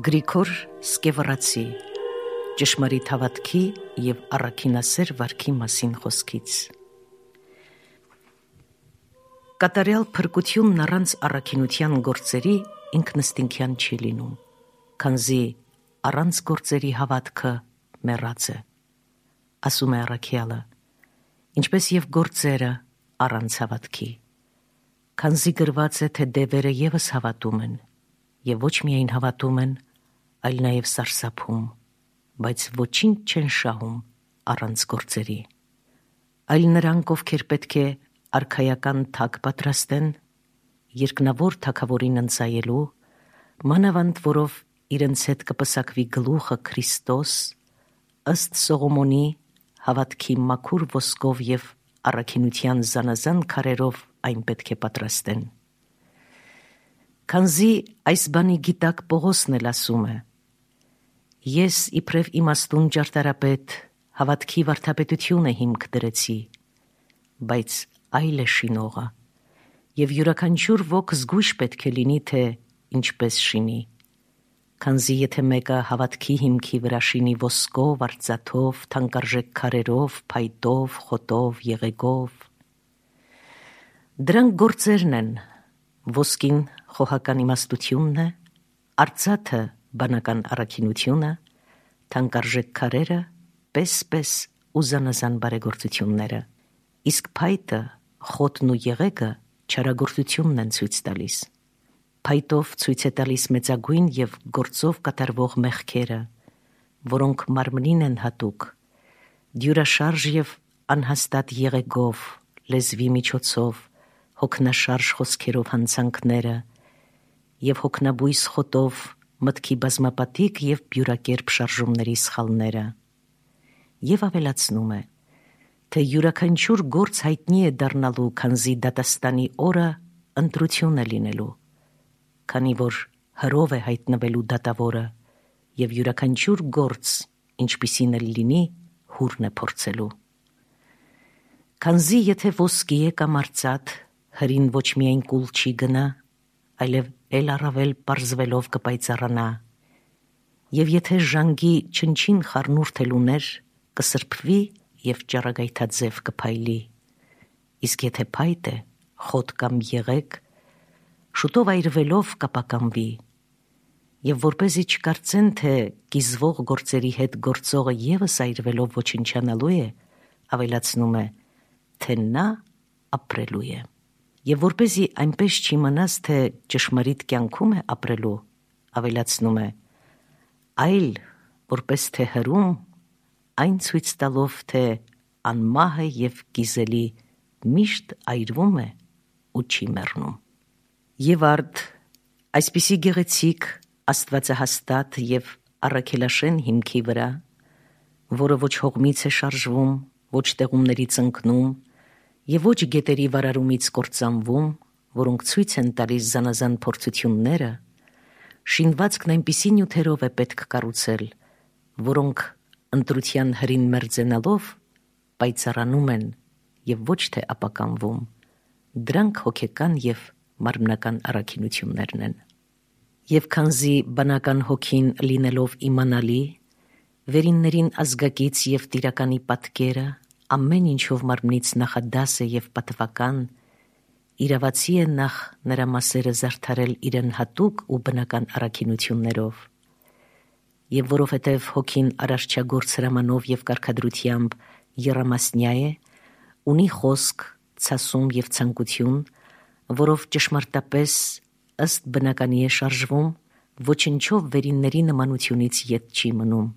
Գրիգոր Սկևառացի ճշմարիտ հավատքի և առաքինասեր վարքի մասին խոսքից։ Կատարյալ փրկությունն առանց առաքինության գործերի ինքնըստինքյան չի լինում, քանզի առանց գործերի հավատքը մեռած է, ասում է առաքյալը, ինչպես և գործերը առանց հավատքի, քանզի գրված է, թե դևերը ևս հավատում են, և ոչ միայն հավատում են, այլ նաև սարսափում, բայց ոչինչ չեն շահում առանց գործերի։ Այլ նրանք, ովքեր պետք է արքայական թագ պատրաստեն, երկնավոր թագավորին ընծայելու, մանավանդ որով իրենց հետ կպսակվի գլուխը Քրիստոս, ըստ Սողոմոնի հավատքի մաքուր ոսկով և առաքինության զանազան քարերով այն պետք է պատրաստեն։ Քանզի այս բանի գիտակ Պողոսն էլ ասում է. «Ես իբրև իմաստուն ճարտարապետ հավատքի վարդապետությունը հիմք դրեցի, բայց այլ է շինողը, և յուրաքանչյուր ոք զգույշ պետք է լինի, թե ինչպես շինի, քանզի եթե մեկը հավատքի հիմքի վրա շինի ոսկով, արծաթով, թանկարժեք քարերով, փայտով, խոտով, եղեգով, դրանք գործերն են, ոսկին խոհական իմաստությունն է, արծաթը բանական առաքինությունը, թանկարժեք քարերը պես ու զանազան բարեգործությունները, իսկ փայտը, խոտն ու եղեգը չարագործությունն են ցույց տալիս։ Փայտով ցույց է տալիս մեծագույն և գործով կատարվող մեղքերը, որոնք մարմնին են հատուկ, դյուրաշարժ և անհաստատ եղեգով, լեզվի միջոցով, հոգնաշարժ խոսքերով հանցանքները և հոգնաբույս խոտով մտքի բազմապատիկ և բյուրակերպ շարժումների սխալները։ Եվ ավելացնում է, թե յուրաքանչյուր գործ հայտնի է դառնալու, քանզի դատաստանի օրը ընտրություն է լինելու, քանի որ հրով է հայտնվելու դատավորը, և յուրաքանչյուր գործ, ինչպիսին էլ լինի, հուրն է փորձելու։ Քանզի եթե ոսկի է կամ արծաթ, հրին ոչ միայն կուլ չի գնա, այլև էլ առավել պարզվելով կպայծառանա, և եթե ժանգի չնչին խառնուրդ էլ ուներ, կսրբվի և ճառագայթաձև կփայլի, իսկ եթե փայտ է, խոտ կամ եղեգ, շուտով այրվելով կապականվի, և որպեսզի չկարծեն, թե կիզվող գործերի հետ գործողը ևս այրվելով ոչնչանալու է, ավելացնում է, թե նա ապրելու է։ Եվ որպեսզի այնպես չիմանաս, թե ճշմարիտ կյանքում է ապրելու, ավելացնում է, այլ որպես թե հրում, այն ցույց տալով, թե անմահը և կիզելի միշտ այրվում է ու չի մեռնում։ Եվ արդ այսպիսի գեղեցիկ, աստվածահաստատ և առաքելաշեն հիմքի վրա, որը ոչ հողմից է շարժվում, ոչ տեղումներից ընկնում և ոչ գետերի վարարումից կործանվում, որոնք ցույց են տալիս զանազան փորձությունները, շինվածքն այնպիսի նյութերով է պետք կառուցել, որոնք ընտրության հրին մերձենալով պայծառանում են և ոչ թե ապականվում, դրանք հոգեկան և մարմնական առաքինություններն են։ Եվ քանզի բանական հոգին լինելով իմանալի, վերիններին ազգակից և տիրականի պատկերը, ամեն ինչով մարմնից նախադաս է և պատվական, իրավացի է նախ նրա մասերը զարդարել իրեն հատուկ ու բնական առաքինություններով, և որովհետև հոգին արարչագործ հրամանով և կարգադրությամբ եռամասնյա է, ունի խոսք, ցասում և ցանկություն, որով ճշմարտապես ըստ բնականի է շարժվում, ոչնչով վերինների նմանությունից ետ չի մնում,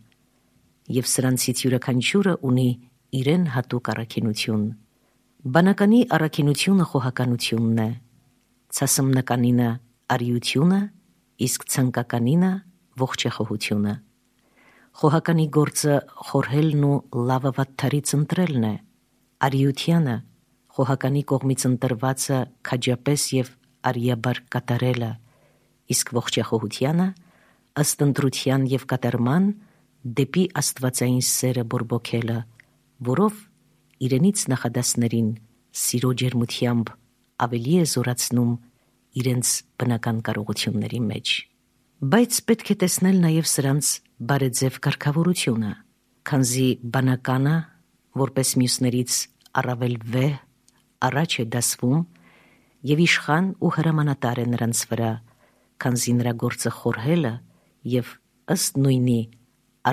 և սրանցից յուրաքանչյուրը ունի իրեն հատուկ առաքինություն։ Բանականի առաքինությունը խոհականությունն է, ցասմնականինը արիությունը, իսկ ցանկականինը ողջախոհությունը։ Խոհականի գործը խորհելն ու լավը վատթարից ընտրելն է, արիությանը խոհականի կողմից ընտրվածը քաջապես և արիաբար կատարելը, իսկ ողջախոհությանը ըստ ընտրության և կատարման դեպի աստվածային սերը բորբոքելը, որով իրենից նախադասներին սիրո ջերմությամբ ավելի է զորացնում իրենց բնական կարողությունների մեջ։ Բայց պետք է տեսնել նաև սրանց բարեձև կարգավորությունը, քանզի բանականը, որպես մյուսներից առավել վեհ, առաջ է դասվում և իշխան ու հրամանատար է նրանց վրա, քանզի նրա գործը խորհելը և ըստ նույնի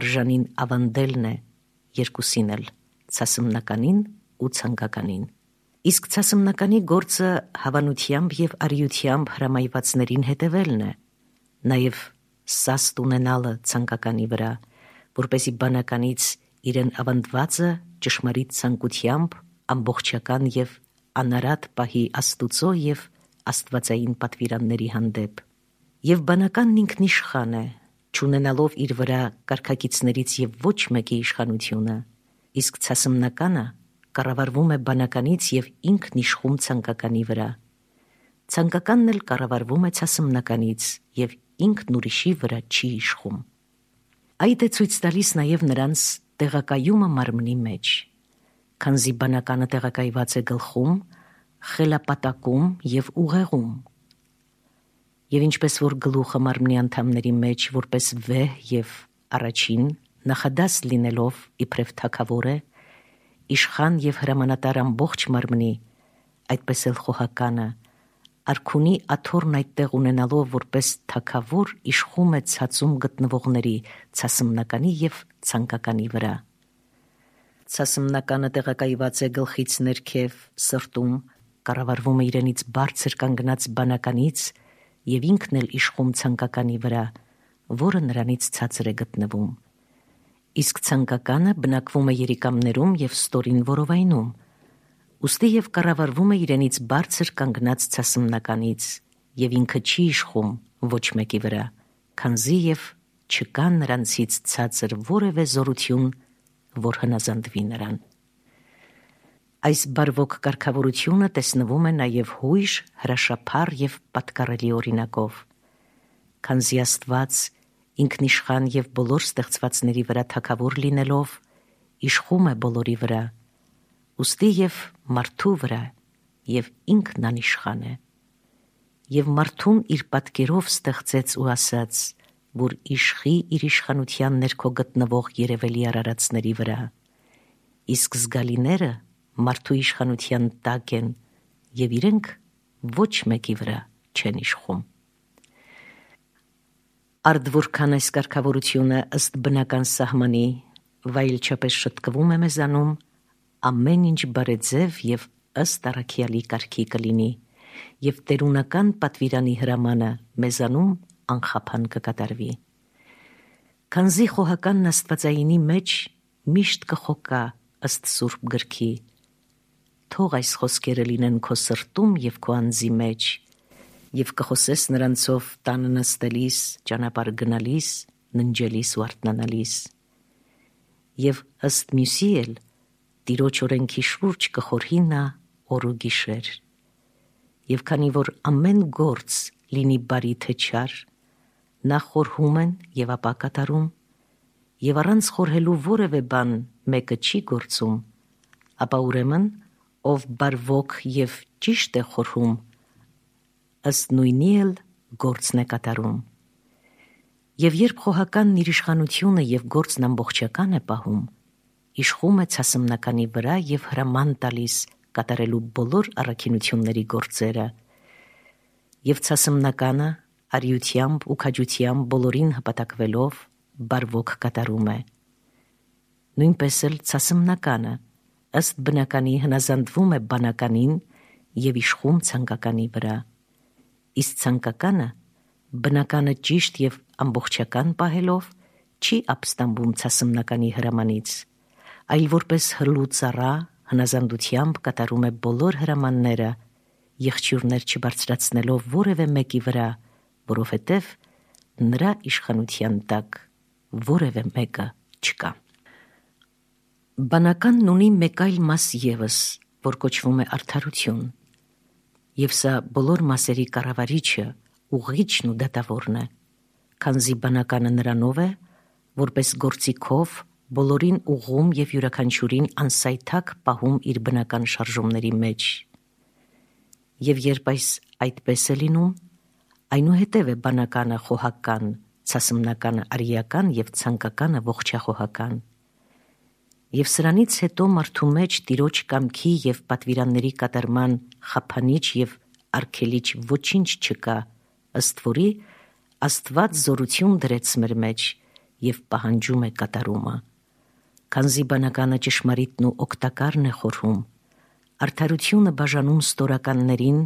արժանին ավանդելն է երկուսին էլ, ցասմնականին ու ցանկականին։ Իսկ ցասմնականի գործը հավանությամբ և արիությամբ հրամայվածներին հետևելն է, նաև սաստ ունենալը ցանկականի վրա, որպեսզի բանականից իրեն ավանդվածը ճշմարիտ ցանկությամբ ամբողջական և անարատ պահի Աստուծո և աստվածային պատվիրանների հանդեպ։ Եվ բանականն ինքնիշխան է, չունենալով իր վրա կարգակիցներից և ոչ մեկի իշխանությունը, իսկ ցասմնականը կառավարվում է բանականից և ինքն իշխում ցանկականի վրա։ Ցանկականն էլ կառավարվում է ցասմնականից և ինքն ուրիշի վրա չի իշխում։ Այդ է ցույց տալիս նաև նրանց տեղակայումը մարմնի մեջ, քանզի բանականը տեղակայված է գլխում, խելապատակում և ուղեղում։ Եվ ինչպես որ գլուխը մարմնի անդամների մեջ որպես վեհ և առաջին նախադաս լինելով իբրև թագավոր է, իշխան և հրամանատար ամբողջ մարմնի, այդպես էլ խոհականը, արքունի աթոռն այդտեղ ունենալով որպես թագավոր իշխում է ցածում գտնվողների ցասմնականի և ցանկականի վրա։ Ցասմնականը տեղակայված է գլխից ներքև սրտում, կառավարվում է իրենից բարձր կանգնած բանականից և ինքն էլ իշխում ցանկականի վրա, որը նրանից ցածր է գտնվում։ Իսկ ցանկականը բնակվում է երիկամներում և ստորին որովայնում, ուստի և կառավարվում է իրենից բարձր կանգնած ցասմնականից և ինքը չի իշխում ոչ մեկի վրա, քանզի և չկա նրանցից ցածր որևէ զորություն, որ հնազանդվի նրան։ Այս բարվոք կարգավորությունը տեսնվում է նաև հույժ, հրաշափառ և պատկառելի օրինակով, քանզի Աստված ինքնիշխան և բոլոր ստեղծվածների վրա թագավոր լինելով իշխում է բոլորի վրա, ուստի և մարդու վրա և ինքն անիշխան է։ Եվ մարդուն իր պատկերով ստեղծեց ու ասաց, որ իշխի իր իշխանության ներքո գտնվող երևելի արարածների վրա, իսկ զգալիները մարդու իշխանության տակ են և իրենք ոչ մեկի վրա չեն իշխում։ Արդ որքան այս կարգավորությունը ըստ բնական սահմանի վայելչապես շտկվում է մեզանում, ամեն ինչ բարեձև և ըստ առաքյալի կարգի կլինի, և տերունական պատվիրանի հրամանը մեզանում անխափան կկատարվի։ Քանզի խոհականն աստվածայինի մեջ միշտ կխոկա ըստ Սուրբ գրքի. «Թող այս խոսքերը լինեն քո սրտում և քո անձի մեջ, և կխոսես նրանցով տանը նստելիս, ճանապարհ գնալիս, ննջելիս ու արթնանալիս»։ Եվ ըստ մյուսի էլ Տիրոջ օրենքի շուրջ կխորհի նա օր ու գիշեր։ Եվ քանի որ ամեն գործ լինի բարի թե չար, նա խորհում են և ապա կատարում, և առանց խորհելու որևէ բան մեկը չի գործում, ապա ուրեմն ով բարվոք և ճիշտ է խորհում, ըստ նույնի էլ գործն է կատարում։ Եվ երբ խոհականն իր իշխանությունը և գործն ամբողջական է պահում, իշխում է ցասմնականի վրա և հրաման տալիս կատարելու բոլոր առաքինությունների գործերը, և ցասմնականը արիությամբ ու քաջությամբ բոլորին հպատակվելով բարվոք կատարում է։ Նույնպես էլ ցասմնականը ըստ բնականի հնազանդվում է բանականին և իշխում ցանկականի վրա, իսկ ցանկականը բնականը ճիշտ և ամբողջական պահելով չի ապստամբում ցասմնականի հրամանից, այլ որպես հրլու ծառա հնազանդությամբ կատարում է բոլոր հրամանները, եղջյուրներ չբարձրացնելով որևէ մեկի վրա, որովհետև նրա իշխանության տակ որևէ մեկը չկա։ Բանականն ունի մեկ այլ մաս ևս, որ կոչվում է արդարություն, և սա բոլոր մասերի կառավարիչը, ուղղիչն ու դատավորն է, քանզի բանականը նրանով է, որպես գործիքով բոլորին ուղղում և յուրաքանչյուրին անսայթակ պահում իր բնական շարժումների մեջ։ Եվ երբ այս այդպես է լինում, Այնուհետև է բանականը խոհական, ցասմնականը արիական և ցանկականը ողջախոհական։ Եվ սրանից հետո մարդու մեջ Տիրոջ կամքի և պատվիրանների կատարման խափանիչ և արգելիչ ոչինչ չկա, ըստ որի Աստված զորություն դրեց մեր մեջ և պահանջում է կատարումը։ Քանզի բանականը ճշմարիտն ու օգտակարն է խորհում, արդարությունը բաժանում ստորականներին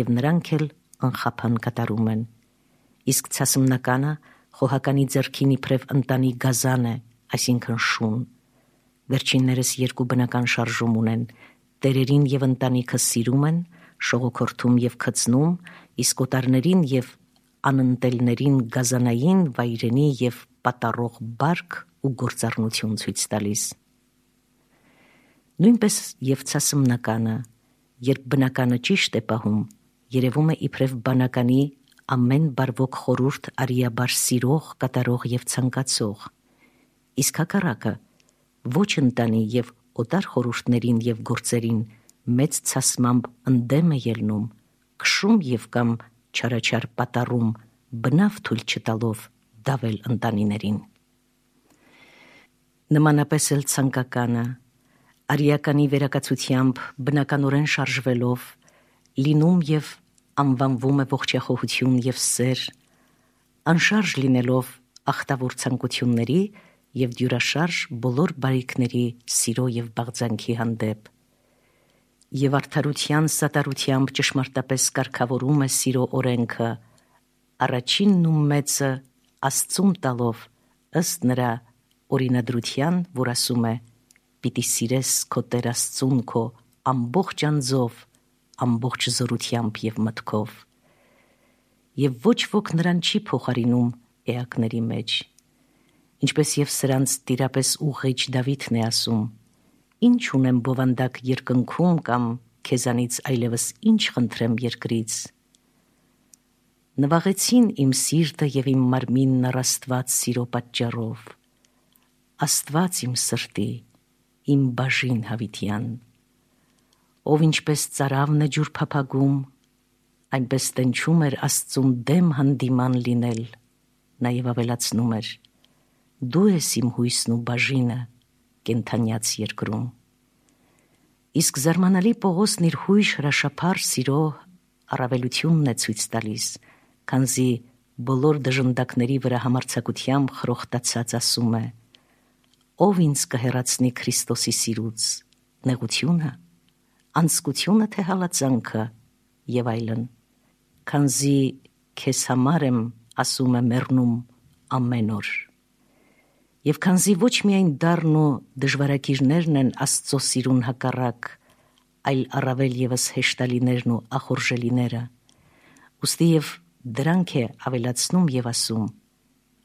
և նրանք էլ անխափան կատարում են։ Իսկ ցասմնականը խոհականի ձեռքին իբրև ընտանի գազան է, այսինքն շուն։ Վերջիններս երկու բնական շարժում ունեն, տերերին և ընտանիքը սիրում են, շողոքորթում և քծնում, իսկ օտարներին և անընտելներին գազանային, վայրենի և պատառող բարք ու գործառնություն ցույց տալիս։ Նույնպես և ցասմնականը, երբ բնականը ճիշտ է պահում, երևում է իբրև բանականի ամեն բարվոք խորհուրդ արիաբար սիրող, կատարող և ցանկացող, իսկ հակառակը ոչ ընտանի և օտար խորհուրդներին և գործերին մեծ ցասմամբ ընդդեմ է ելնում, քշում և կամ չարաչար պատառում, բնավ թույլ չտալով դավել ընտանիներին։ Նմանապես էլ ցանկականը, արիականի վերակացությամբ բնականորեն շարժվելով, լինում և անվանվում է ողջախոհություն և սեր, անշարժ լինելով ախտավոր ցանկությունների և դյուրաշարժ բոլոր բարիքների սիրո և բաղձանքի հանդեպ, և արդարության սատարությամբ ճշմարտապես կարգավորում է սիրո օրենքը, առաջինն ու մեծը Աստծուն տալով, ըստ նրա օրինադրության, որ ասում է. «Պիտի սիրես քո Տեր Աստծուն քո ամբողջ անձով, ամբողջ զորությամբ և մտքով»։ Եվ ոչ ոք նրան չի փոխարինում էակների մեջ, ինչպես և սրանց տիրապես ուղղիչ Դավիթն է ասում. «Ինչ ունեմ բովանդակ երկնքում կամ քեզանից այլևս ինչ խնդրեմ երկրից»։ Նվաղեցին իմ սիրտը և իմ մարմինն առ Աստված սիրո պատճառով։ Աստված իմ սրտի, իմ բաժին հավիտյան, ով ինչպես ծարավն է ջուր փափագում, այնպես տնչում էր Աստծուն դեմ հանդիման լինել, նաև ավելացնում էր. «Դու ես իմ հույսն ու բաժինը կենդանյաց երկրում»։ Իսկ զարմանալի Պողոսն իր հույժ հրաշափառ սիրո առավելությունն է ցույց տալիս, քանզի բոլոր դժնդակների վրա համարձակությամբ խրոխտացած ասում է. «Ով ինձ կհեռացնի Քրիստոսի սիրուց, նեղությո՞ւնը, անձկությո՞ւնը, թե հալածանքը» և այլն, քանզի քեզ համար եմ, ասում է, մեռնում ամեն օր։ Եվ քանզի ոչ միայն դառն ու դժվարագիրներն են Աստծո սիրուն հակառակ, այլ առավել ևս հեշտալիներն ու ախորժելիները, ուստի և դրանք է ավելացնում և ասում.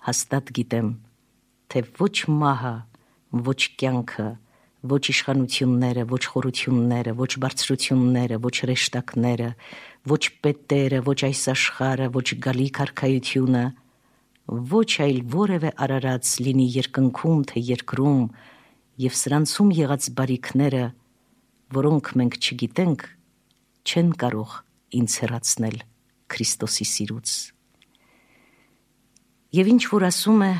«Հաստատ գիտեմ, թե ոչ մահը, ոչ կյանքը, ոչ իշխանությունները, ոչ խորությունները, ոչ բարձրությունները, ոչ հրեշտակները, ոչ պետերը, ոչ այս աշխարհը, ոչ գալիք արքայությունը, ոչ այլ որևէ արարած լինի երկնքում, թե երկրում, և սրանցում եղած բարիքները, որոնք մենք չգիտենք, չեն կարող ինձ հեռացնել Քրիստոսի սիրուց»։ Եվ ինչ որ ասում է,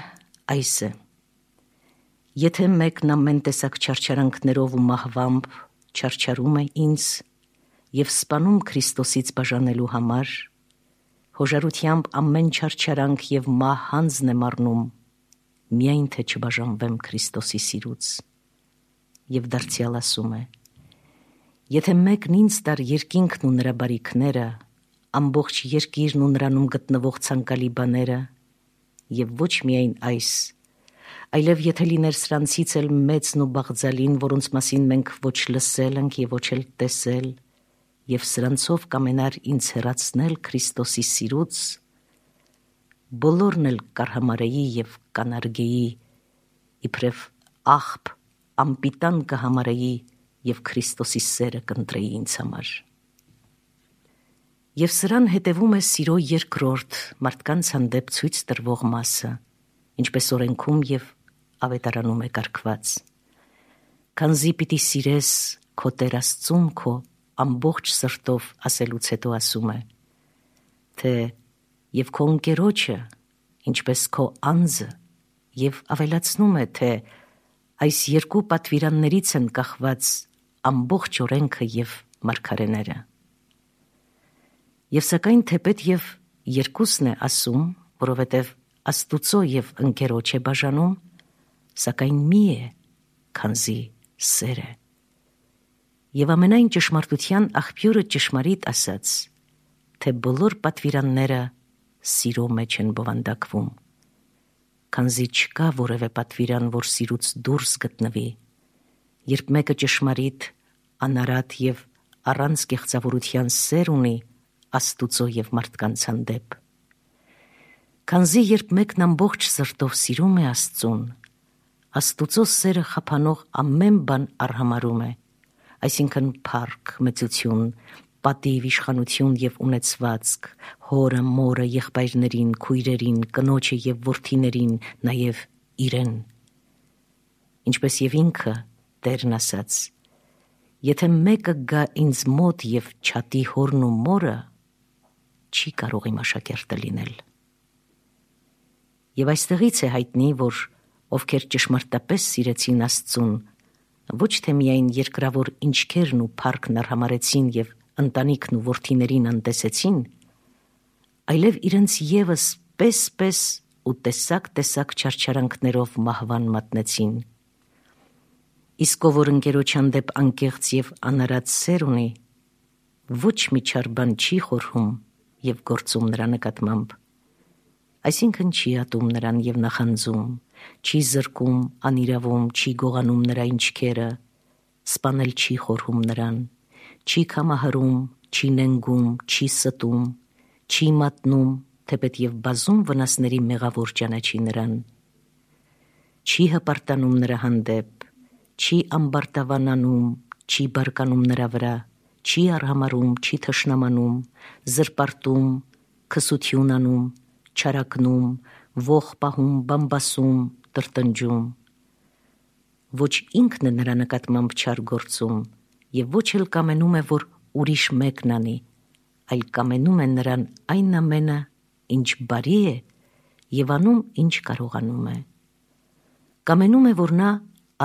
այս է. «Եթե մեկն ամեն տեսակ չարչարանքներով ու մահվամբ չարչարում է ինձ և սպանում Քրիստոսից բաժանելու համար, հոժարությամբ ամեն չարչարանք և մահ հանձն է մառնում, միայն թե չբաժանվեմ Քրիստոսի սիրուց»։ Եվ դարձյալ ասում է. «Եթե մեկն ինձ տար երկինքն ու նրա բարիքները, ամբողջ երկիրն ու նրանում գտնվող ցանկալի բաները, և ոչ միայն այս, այլև եթե լիներ սրանցից էլ մեծն ու բաղձալին, որոնց մասին մենք ոչ լսել ենք և ոչ էլ տեսել, և սրանցով կամենար ինձ հեռացնել Քրիստոսի սիրուց, բոլորն էլ կարհամարեի և կանարգեի, իբրև աղբ անպիտան կհամարեի և Քրիստոսի սերը կընտրեի ինձ համար»։ Եվ սրան հետևում է սիրո երկրորդ մարդկանց հանդեպ ցույց տրվող մասը, ինչպես օրենքում և ավետարանում է կարգված. «Քանզի պիտի սիրես քո Տեր Աստծուն քո ամբողջ սրտով» ասելուց հետո ասում է, թե եւ քո ընկերոջը, ինչպես քո անձը, եւ ավելացնում է, թե այս երկու պատվիրաններից են կախված ամբողջ օրենքը եւ մարգարեները։ Եվ սակայն թեպետ եւ երկուսն է ասում, որովհետեւ Աստուծո եւ ընկերոջ է բաժանում, սակայն մի է, քանզի սեր է։ Եվ ամենայն ճշմարտության աղբյուրը ճշմարիտ ասաց, թե բոլոր պատվիրանները սիրո մեջ են բովանդակվում, քանզի չկա որևէ պատվիրան, որ սիրուց դուրս գտնվի, երբ մեկը ճշմարիտ, անարատ եւ առանց կեղծավորության սեր ունի Աստուծո եւ մարդկանց հանդեպ։ Քանզի երբ մեկն ամբողջ սրտով սիրում է Աստծուն, Աստուծո սերը խափանող ամեն բան արհամարում է, այսինքն փառք, մեծություն, պատիվ, իշխանություն եւ ունեցվածք, հորը, մորը, եղբայրներին, քույրերին, կնոջը եւ որդիներին, նաեւ իրեն։ Ինչպես եւ ինքը Տերն ասաց. եթե մեկը գա ինձ մոտ եւ չատի հորն ու մորը, չի կարող իմ աշակերտը լինել։ Եվ այստեղից է հայտնի, որ ովքեր ճշմարտապես սիրեցին Աստծուն, ոչ թե միայն երկրավոր ինչքերն ու փառքն արհամարեցին եւ ընտանիքն ու որդիներին անտեսեցին, այլև իրենց եւս պես ու տեսակ չարչարանքներով մահվան մատնեցին։ Իսկ ով որ ընկերոջ հանդեպ անկեղծ եւ անարատ սեր ունի, ոչ մի չար բան չի խորհում եւ գործում նրա նկատմամբ, այսինքն չի ատում նրան եւ նախանձում, չի զրկում, անիրավում, չի գողանում նրա ինչքերը, սպանել չի խորհում նրան, չի կամահարում, չի նենգում, չի ստում, չի մատնում, թեպետ եւ բազում վնասների մեղավոր ճանաչի նրան, չի հպարտանում նրա հանդեպ, չի ամբարտավանանում, չի բարկանում նրա վրա, չի արհամարում, չի թշնամանում, զրպարտում, քսություն անում, չարակնում, ող պահում, բամբասում, տրտնջում։ Ոչ ինքն է նրա նկատմամբ չար գործում եւ ոչ էլ կամենում է, որ ուրիշ մեկն անի, այլ կամենում է նրան այն ամենը, ինչ բարի է եւ անում, ինչ կարողանում է։ Կամենում է, որ նա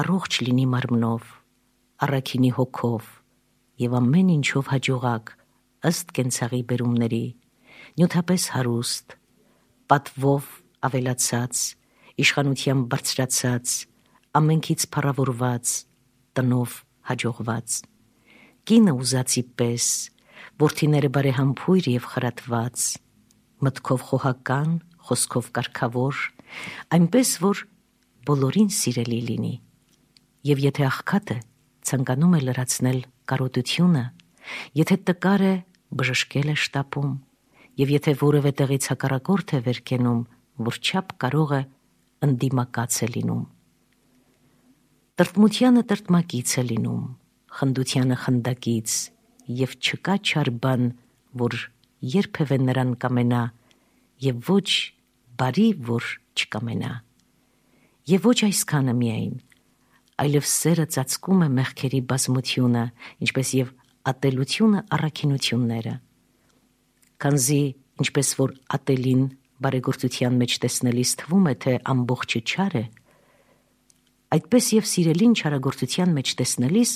առողջ լինի մարմնով, առաքինի հոգով եւ ամեն ինչով հաջողակ, ըստ կենցաղի բերումների, նյութապես հարուստ, պատվով ավելացած, իշխանությամբ բարձրացած, ամենքից փառավորված, տնով հաջողված, կինը ուզածի պես, որդիները բարեհամբույր եւ խրատված, մտքով խոհական, խոսքով կարգավոր, այնպես որ բոլորին սիրելի լինի։ Եվ եթե աղքատը ցանկանում է լրացնել կարոտությունը, եթե տկար է բժշկել է շտապում, եւ եթե որևէ տեղից հակառակորդ է վերկենում, որ չափ կարող է ընդդիմակաց է լինում։ Տրտմությանը տրտմակից է լինում, խնդությանը խնդակից, եւ չկա չար բան, որ երբևէ նրան կամենա, եւ ոչ բարի, որ չկամենա։ Եվ ոչ այսքանը միայն, այլև սերը ծածկում է մեղքերի բազմությունը, ինչպես եւ ատելությունը առաքինությունները։ Քանզի ինչպես որ ատելին բարեգործության մեջ տեսնելիս թվում է, թե ամբողջը չար է, այդպես եւ սիրելին չարագործության մեջ տեսնելիս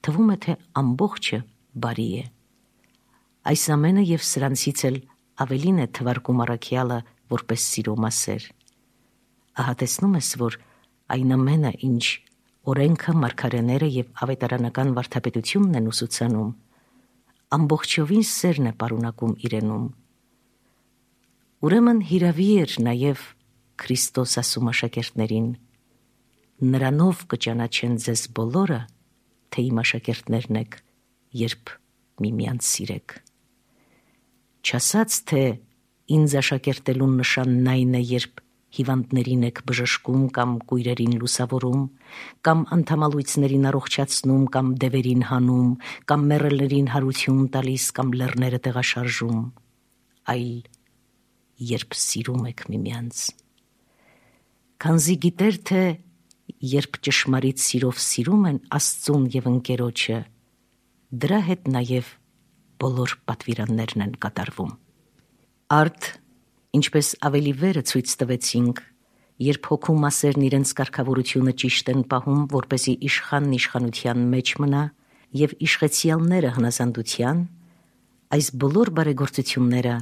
թվում է, թե ամբողջը բարի է։ Այս ամենը եւ սրանցից էլ ավելին է թվարկում առաքյալը որպես սիրո մասեր։ Ահա տեսնում ես, որ այն ամենը, ինչ օրենքը, մարգարեները եւ ավետարանական վարդապետությունն են ուսուցանում, ամբողջովին սերն է պարունակում իրենում։ Ուրեմն հիրավի էր նաեւ Քրիստոս ասում աշակերտներին. նրանով կճանաչեն ձեզ բոլորը, թե իմ աշակերտներն եք, երբ միմյանց սիրեք։ Չասաց, թե ինձ աշակերտելուն նշանն այն է, երբ հիվանդներին եք բժշկում կամ կույրերին լուսավորում, կամ անդամալույցներին առողջացնում, կամ դևերին հանում, կամ մեռելներին հարություն տալիս, կամ լեռները տեղաշարժում, այլ երբ սիրում եք միմյանց։ Քանզի գիտեր, թե երբ ճշմարիտ սիրով սիրում են Աստծուն եւ ընկերոջը, դրա հետ նաեւ բոլոր պատվիրաններն են կատարվում։ Արդ Ինչպես ավելի վերը ցույց տվեցինք, երբ հոգու մասերն իրենց կարգավորությունը ճիշտ են պահում, որպեսզի իշխանն իշխանության մեջ մնա եւ իշխեցյալները հնազանդության, այս բոլոր բարեգործությունները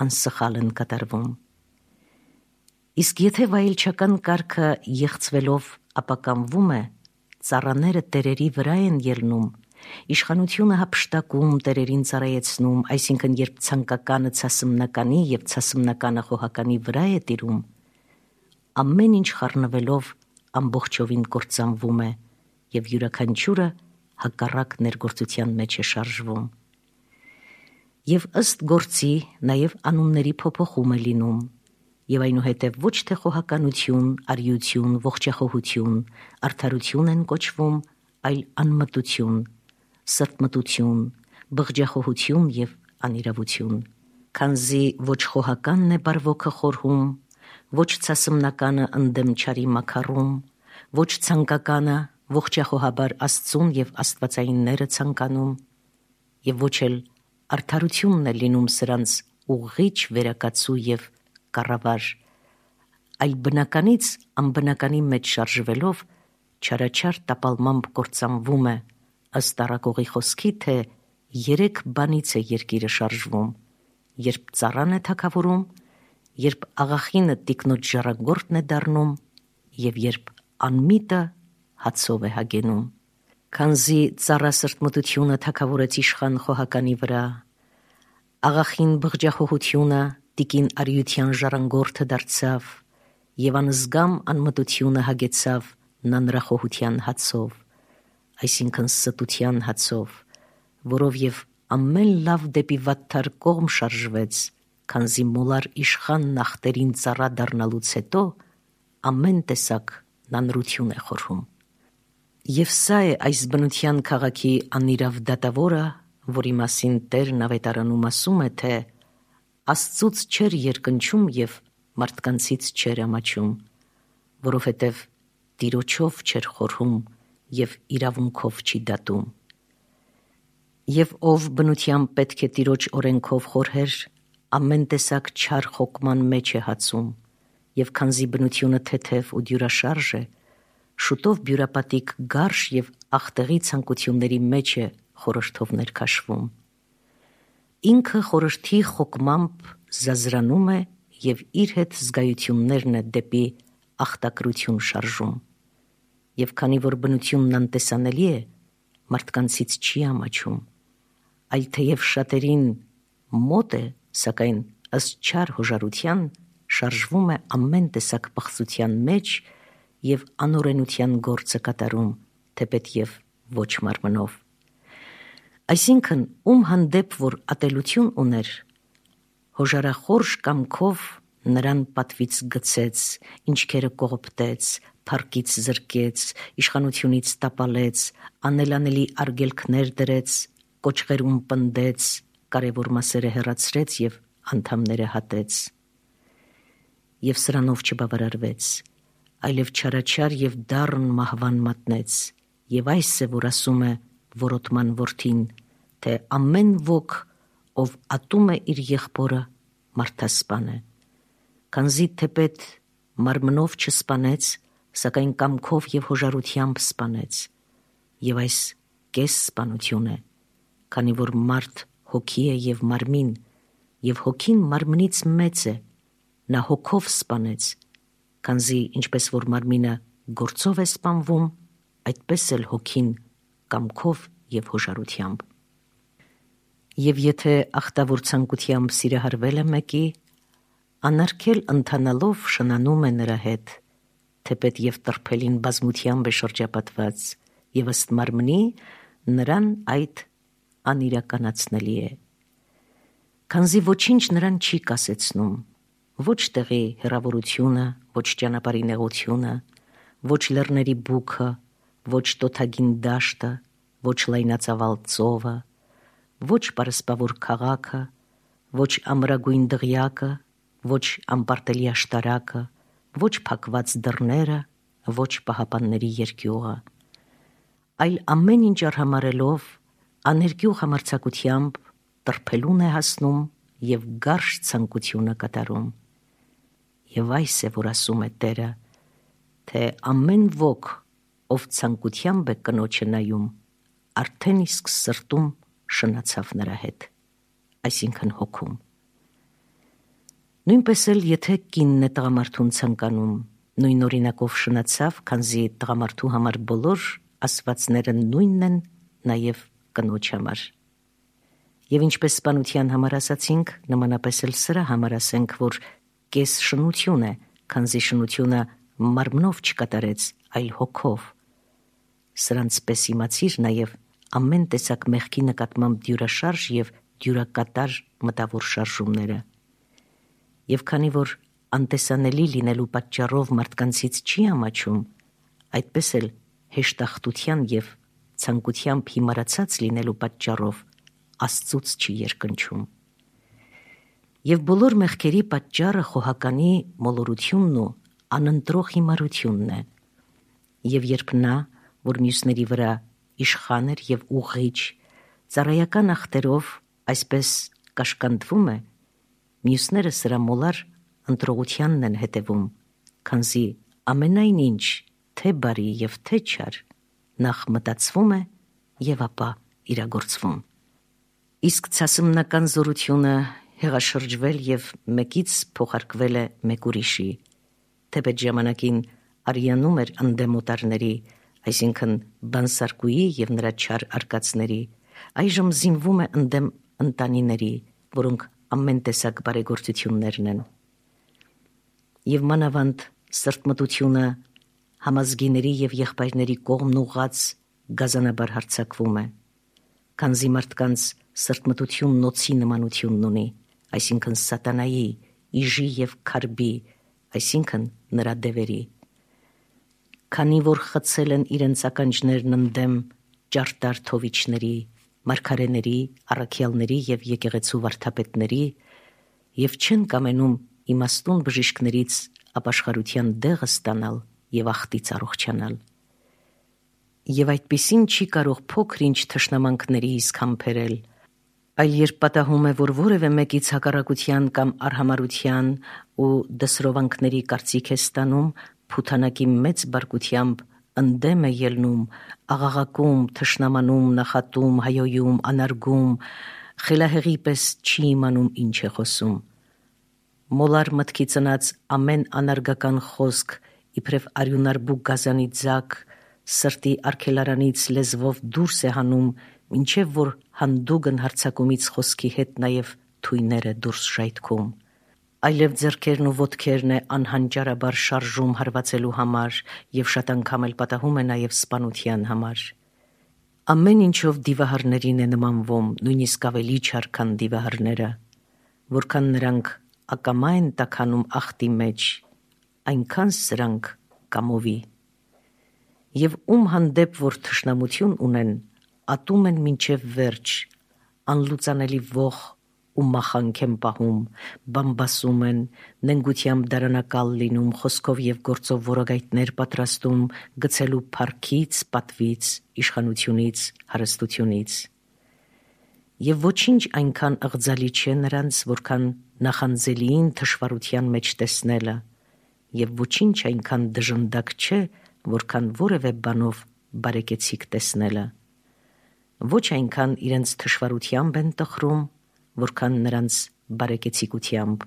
անսխալ են կատարվում։ Իսկ եթե վայելչական կարգը եղծվելով ապականվում է, ծառաները տերերի վրա են ելնում, իշխանությունը հափշտակում, տերերին ծառայեցնում, այսինքն երբ ցանկականը ցասմնականի եւ ցասմնականը խոհականի վրա է տիրում, ամեն ինչ խառնվելով ամբողջովին կործանվում է եւ յուրաքանչյուրը հակառակ ներգործության մեջ է շարժվում։ Եվ ըստ գործի նաեւ անունների փոփոխում է լինում, եւ այնուհետև ոչ թե խոհականություն, արիություն, ողջախոհություն, արդարություն են կոչվում, այլ անմտություն, սրտմտություն, բղջախոհություն եւ անիրավություն, քանզի ոչ խոհականն է բարվոքը խորհում, ոչ ցասմնականը ընդդեմ չարի մաքարում, ոչ ցանկականը ողջախոհաբար Աստծուն եւ աստվածայինները ցանկանում, եւ ոչ էլ արդարությունն է լինում սրանց ուղղիչ վերակացու եւ կառավար, այլ բնականից անբնականի մեջ շարժվելով չարաչար տապալմամբ կործանվում է, ըստ առակողի խոսքի, թե 3 բանից է երկիրը շարժվում, երբ ծառան է թագավորում, երբ աղախինը տիկնոջ ժառանգորդն է դառնում եւ երբ անմիտը հացով է հագենում։ Քանզի ծառա սրտմտությունը թագավորեց իշխան խոհականի վրա, աղախին բղջախոհությունը տիկին արիության ժառանգորդը դարձավ եւ անզգամ անմտությունը հագեցավ նանրախոհության հացով, այսինքն ստության հացով, որով եւ ամեն լավ դեպի վատթար կողմ շարժվեց, քանզի մոլար իշխան նախտերին ծառա դառնալուց հետո ամեն տեսակ նանրություն է խորհում։ Եվ սա է այս բնության քաղաքի անիրավ դատավորը, որի մասին Տերն ավետարանում ասում է, թե Աստծուց չեր երկնչում եւ մարդկանցից չեր ամաչում, որովհետեւ Տիրոջով չեր խորհում եւ իրավունքով չի դատում։ Եվ ով բնությամբ պետք է Տիրոջ օրենքով խորհեր, ամեն տեսակ չար խոկման մեջ է հացում, եւ քանզի բնությունը թեթև ու դյուրաշարժ է, շուտով բյուրապատիկ գարշ եւ աղտեղի ցանկությունների մեջ է խորհրդով ներքաշվում։ Ինքը խորհրդի խոկմամբ զազրանում է եւ իր հետ զգայություններն է դեպի աղտակրություն շարժում։ Եվ քանի որ բնությունն անտեսանելի է, մարդկանցից չի ամաչում, այլ թեև շատերին մոտ է, սակայն ըստ չար հոժարության շարժվում է ամեն տեսակ պղծության մեջ եւ անօրենության գործը կատարում, թեպետ եւ ոչ մարմնով։ Այսինքն, ում հանդեպ որ ատելություն ուներ, հոժարախորժ կամքով նրան պատվից գցեց, ինչքերը կողոպտեց, փառքից զրկեց, իշխանությունից տապալեց, անելանելի արգելքներ դրեց, կոճղերում պնդեց, կարևոր մասերը հեռացրեց եւ անդամները հատեց։ Եվ սրանով չբավարարվեց, այլև չարաչար եւ դառն մահվան մատնեց, եւ այս է, որ ասում է որոտման որդին, թե ամեն ոք, ով ատում է իր եղբորը, մարդասպան է, քանզի թեպետ մարմնով չսպանեց, սակայն կամքով եւ հոժարությամբ սպանեց, եւ այս կես սպանություն է, քանի որ մարդ հոգի է եւ մարմին, եւ հոգին մարմնից մեծ է, նա հոգով սպանեց, քանզի ինչպես որ մարմինը գործով է սպանվում, այդպես էլ հոգին կամքով եւ հոժարությամբ։ Եվ եթե ախտավոր ցանկությամբ սիրահարվել է մեկի, անարգել ընթանալով շնանում է նրա հետ, թեպետ եւ տրփելին բազմությամբ է շրջապատված, եւ ըստ մարմնի նրան այդ անիրականացնելի է։ Քանզի ոչինչ նրան չի կասեցնում, ոչ տեղի հեռավորությունը, ոչ ճանապարհի նեղությունը, ոչ լեռների բուքը, ոչ տոթագին դաշտը, ոչ լայնածավալ ծովը, ոչ պարսպավոր քաղաքը, ոչ ամրագույն դղյակը, ոչ անպարտելի աշտարակը, ոչ փակված դռները, ոչ պահապանների երկյուղը, այլ ամեն ինչ արհամարելով, աներկյուղ համարձակությամբ տրփելուն է հասնում եւ գարշ ցանկությունը կատարում, Եվ այս է, որ ասում է Տերը, թե ամեն ոք, ով ցանկությամբ է կնոջը նայում, արդեն իսկ սրտում շնացավ նրա հետ, այսինքն հոգում։ Նույնպես էլ եթե կինն է տղամարդուն ցանկանում, նույն օրինակով շնացավ, քանզի տղամարդու համար բոլոր ասվածները նույնն են նաև կնոջ համար։ Եվ ինչպես սպանության համար ասացինք, նմանապես էլ սրա համար ասենք, որ կես շնություն է, քանզի շնությունը մարմնով չկատարեց, այլ հոգով։ Սրանց պես իմացիր նաև ամեն տեսակ մեղքի նկատմամբ դյուրաշարժ և դյուրակատար մտավոր շարժումները։ Եվ քանի որ անտեսանելի լինելու պատճառով մարդկանցից չի ամաչում, այդպես էլ հեշտախտության և ցանկությամբ հիմարացած լինելու պատճառով Աստծուց չի երկնչում։ Եվ բոլոր մեղքերի պատճառը խոհականի մոլորությունն ու անընտրող հիմարությունն է։ Եվ երբ նա, որ մյուսների վրա իշխան էր և ուղղիչ, ծառայական ախտերով այսպես կաշկանդվում է, մյուսները սրա մոլար ընտրողությանն են հետևում, քանզի ամենայն ինչ, թե բարի և թե չար, նախ մտածվում է և ապա իրագործվում։ Իսկ ցասմնական զորությունը հեղաշրջվել և մեկից փոխարկվել է մեկ ուրիշի, թեպետ ժամանակին արյանում էր ընդդեմ օտարների, այսինքն բանսարկուի և նրա չար արկածների, այժմ զինվում է ընդդեմ ընտանիների, որոնք ամեն տեսակ բարեգործություններն են։ Եվ մանավանդ սրտմտությունը համազգիների և եղբայրների կողմն ուղղած գազանաբար հարձակվում է, քանզի մարդկանց սրտմտությունն օձի նմանությունն ունի, այսինքն սատանայի, իժի և քարբի, այսինքն նրա դևերի։ Քանի որ խցել են իրենց ականջներն ընդդեմ ճարտար թովիչների, մարգարեների, առաքյալների և եկեղեցու վարդապետների և չեն կամենում իմաստուն բժիշկներից ապաշխարության դեղը ստանալ և ախտից առողջանալ։ Եվ այդպիսին չի կարող փոքր ինչ թշնամանքների իսկ համբերել, այլ երբ պատահում է, որ որևէ մեկից հակառակության կամ արհամարհության ու դսրովանքների կարծիք է ստանում, փութանակի մեծ բարկությամբ ընդդեմ է ելնում, աղաղակում, թշնամանում, նախատում, հայոյում, անարգում, խելահեղի պես չի իմանում ինչ է խոսում։ Մոլար մտքի ծնած ամեն անարգական խոսք իբրև արյունարբու գազանի ձագ սրտի արգելարանից լեզվով դուրս է հանում, մինչև որ հանդուգն հարձակումից խոսքի հետ նաև թույներ է դուրս ժայթքում, այլև ձեռքերն ու ոտքերն է անհանճարաբար շարժում հարվածելու համար և շատ անգամ էլ պատահում է նաև սպանության համար։ Ամեն ինչով դիվահարներին է նմանվում, նույնիսկ ավելի չար, քան դիվահարները, որքան նրանք ակամա են տաքանում ախտի մեջ, այնքան սրանք կամովի։ Եվ ում հանդեպ որ թշնամություն ունեն, ատում են մինչև վերջ, անլուծանելի ոխ ու մախանք են պահում, բամբասում են, նենգությամբ դարանակալ լինում, խոսքով և գործով որոգայթներ պատրաստում, գցելու փառքից, պատվից, իշխանությունից, հարստությունից։ Եվ ոչինչ այնքան ըղձալի չէ նրանց, որքան նախանձելիին թշվառության մեջ տեսնելը, և ոչինչ այնքան դժնդակ չէ, որքան որևէ բանով բարեկեցիկ տեսնելը։ Ոչ այնքան իրենց թշվառությամբ են տխրում, որքան նրանց բարեկեցիկությամբ,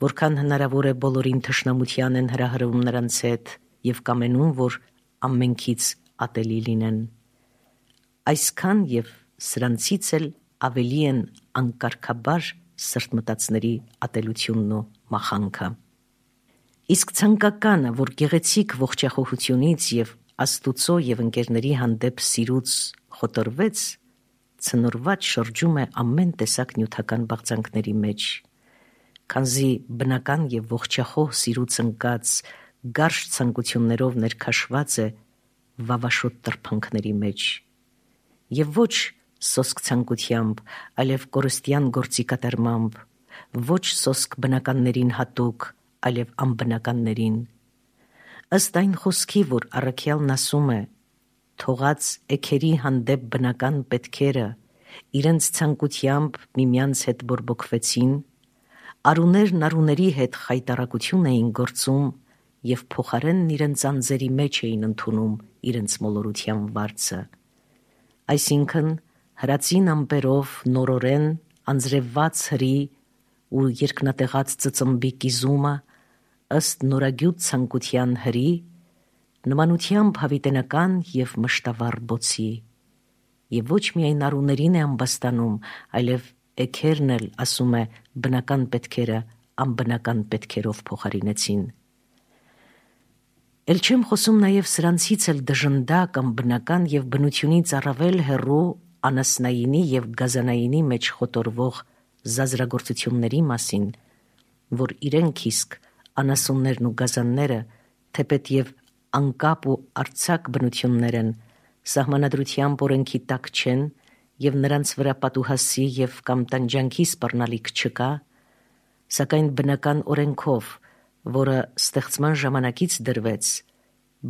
որքան հնարավոր է բոլորին թշնամության են հրահրում նրանց հետ և կամենում, որ ամենքից ատելի լինեն։ Այսքան և սրանցից էլ ավելի են անկարգաբար սրտմտածների ատելությունն ու մախանքը։ Իսկ ցանկականը, որ գեղեցիկ ողջախոհությունից և Աստուծո և ընկերների հանդեպ սիրուց խոտորվեց, ցնորված շրջում է ամեն տեսակ նյութական բաղձանքների մեջ, քանզի բնական և ողջախոհ սիրուց ընկած գարշ ցանկություններով ներքաշված է վավաշոտ տրփանքների մեջ, և ոչ սոսկ ցանկությամբ, այլև կորստյան գործի կատարմամբ, ոչ սոսկ բնականներին հատուկ, այլև անբնականներին։ Ըստ այն խոսքի, որ առաքյալն ասում է. «Թողած էգերի հանդեպ բնական պետքերը իրենց ցանկությամբ միմյանց հետ բորբոքվեցին, Արուներն արուների հետ խայտարակություն էին գործում և փոխարենն իրենց անձերի մեջ էին ընդունում իրենց մոլորության վարձը։ Այսինքն հրացին ամպերով նորորեն անձրևված հրի ու երկնատեղած ծծմբի կիզումը ըստ նորագյուտ ցանկության հրի, նմանությամբ հավիտենական և մշտավառ բոցի, և ոչ միայն արուներին է ամբաստանում, այլև էգերն էլ, ասում է, բնական պետքերը անբնական պետքերով փոխարինեցին։ Էլ չեմ խոսում նաև սրանցից էլ դժնդակ, անբնական և բնությունից առավել հեռու անասնայինի և գազանայինի մեջ խոտորվող զազրագործությունների մասին, որ իրենք իսկ անասուններն ու գազանները, թեպետ և անկապ ու արձակ բնություններ են, սահմանադրությամբ օրենքի տակ չեն և նրանց վրա պատուհասի և կամ տանջանքի սպառնալիք չկա, սակայն բնական օրենքով, որը ստեղծման ժամանակից դրվեց,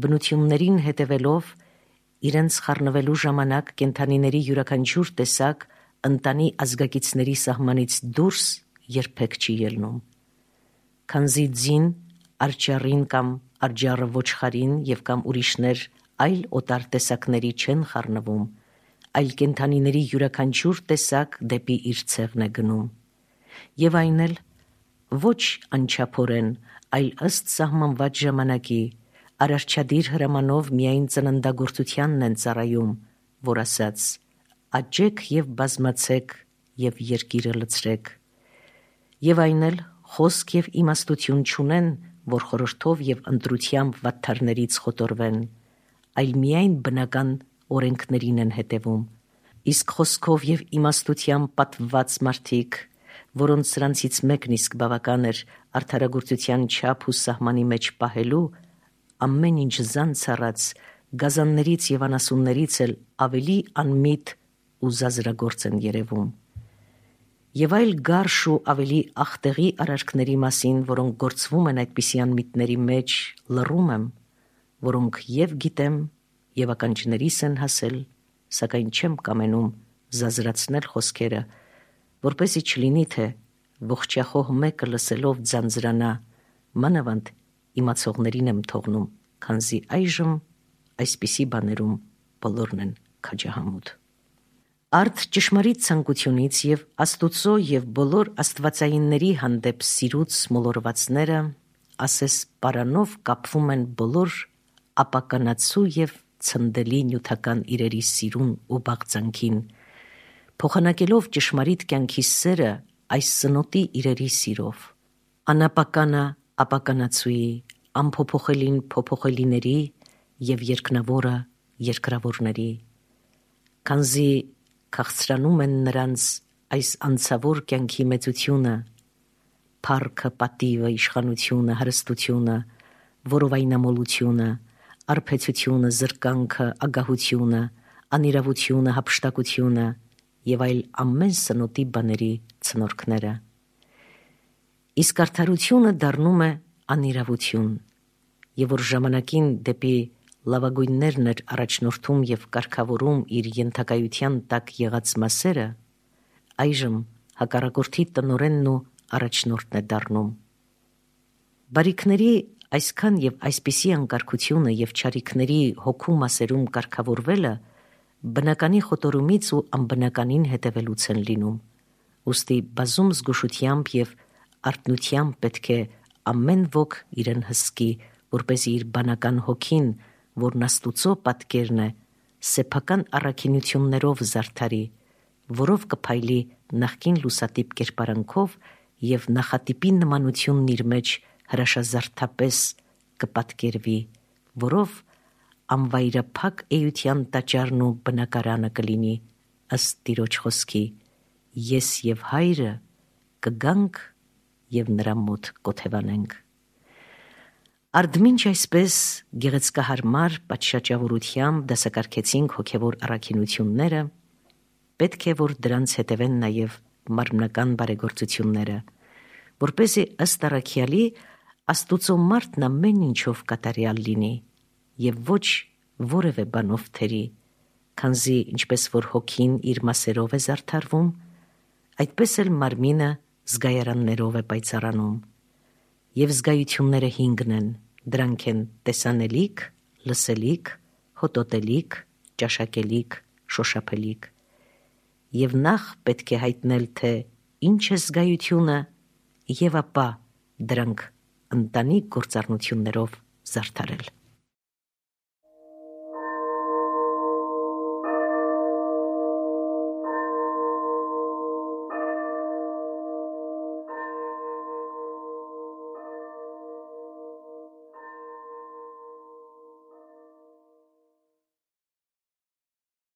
բնություններին հետևելով, իրենց խառնվելու ժամանակ կենդանիների յուրաքանչյուր տեսակ ընտանի ազգակիցների սահմանից դուրս երբեք չի ելնում, քանզի ձին, արջառին կամ արջառը ոչխարին և կամ ուրիշներ այլ օտար տեսակների չեն խառնվում, այլ կենդանիների յուրաքանչյուր տեսակ դեպի իր ցեղն է գնում, և այն էլ ոչ անչափորեն, այլ ըստ սահմանված ժամանակի, արարչադիր հրամանով միայն ծննդագործությանն են ծառայում, որ ասաց. «Աճեք և բազմացեք և երկիրը լցրեք», և այն էլ խոսք և իմաստություն չունեն, որ խորհրդով և ընտրությամբ վատթարներից խոտորվեն, այլ միայն բնական օրենքներին են հետևում, իսկ խոսքով և իմաստությամբ պատվված մարդիկ, որոնց սրանցից մեկն իսկ բավական էր արդարագործության չափ ու սահմանի մեջ պահելու, ամեն ինչ զանց առած, գազաններից և անասուններից էլ ավելի անմիտ ու զազրագործ են երևում։ Եվ այլ գարշ ու ավելի ախտեղի արարքների մասին, որոնք գործվում են այդպիսի անմիտների մեջ, լռում եմ, որոնք և գիտեմ, և ականջներիս են հասել, սակայն չեմ կամենում զազրացնել խոսքերը, որպեսզի չլինի, թե ողջախոհ մեկը լսելով ձանձրանա, մանավանդ իմացողներին եմ թողնում, քանզի այժմ այսպիսի բաներում բոլորն են քաջահամուտ։ Արդ ճշմարիտ ցանկությունից և Աստուծո և բոլոր աստվածայինների հանդեպ սիրուց մոլորվածները, ասես պարանով կապվում են բոլոր ապականացու և ցնդելի նյութական իրերի սիրուն ու բաղձանքին, փոխանակելով ճշմարիտ կյանքի սերը այս սնոտի իրերի սիրով, անապականը ապականացուի, անփոփոխելին փոփոխելիների և երկնավորը երկրավորների, քանզի քաղցրանում են նրանց այս անցավոր կյանքի մեծությունը, փառքը, պատիվը, իշխանությունը, հարստությունը, որովայնամոլությունը, արբեցությունը, զրկանքը, ագահությունը, անիրավությունը, հափշտակությունը և այլ ամեն սնոտի բաների ցնորքները։ Իսկ արդարությունը դառնում է անիրավություն, և որ ժամանակին դեպի լավագույններն էր առաջնորդում և կարգավորում իր ենթակայության տակ եղած մասերը, այժմ հակառակորդի տնօրենն ու առաջնորդն է դառնում։ Բարիքների այսքան և այսպիսի անկարգությունը և չարիքների հոգու մասերում կարգավորվելը բնականի խոտորումից ու անբնականին հետևելուց են լինում, ուստի բազում զգուշությամբ և արթնությամբ պետք է ամեն ոք իրեն հսկի, որպեսզի իր բանական հոգին, որն Աստուծո պատկերն է, սեփական առաքինություններով զարդարի, որով կփայլի նախկին լուսատիպ կերպարանքով և նախատիպի նմանությունն իր մեջ հրաշազարդապես կպատկերվի, որով անվայրափակ էության տաճարն ու բնակարանը կլինի, ըստ Տիրոջ խոսքի. «Ես և Հայրը կգանք և նրա մոտ կօթևանենք»։ Արդմինչ այսպես գեղեցկահարմար պատշաճավորությամբ դասակարգեցինք հոգևոր առաքինությունները, պետք է, որ դրանց հետևեն նաև մարմնական բարեգործությունները, որպեսզի ըստ առաքյալի Աստուծո մարդն ամեն ինչով կատարյալ լինի և ոչ որևէ բանով թերի, քանզի ինչպես որ հոգին իր մասերով է զարդարվում, այդպես էլ մարմինը զգայարաններով է պայծառանում, եւ զգայությունները 5 են, դրանք են տեսանելիք, լսելիք, հոտոտելիք, ճաշակելիք, շոշափելիք, եւ նախ պետք է հայտնել, թե ինչ է զգայությունը, եւ ապա դրանք ընտանիք գործառնություններով զարդարել։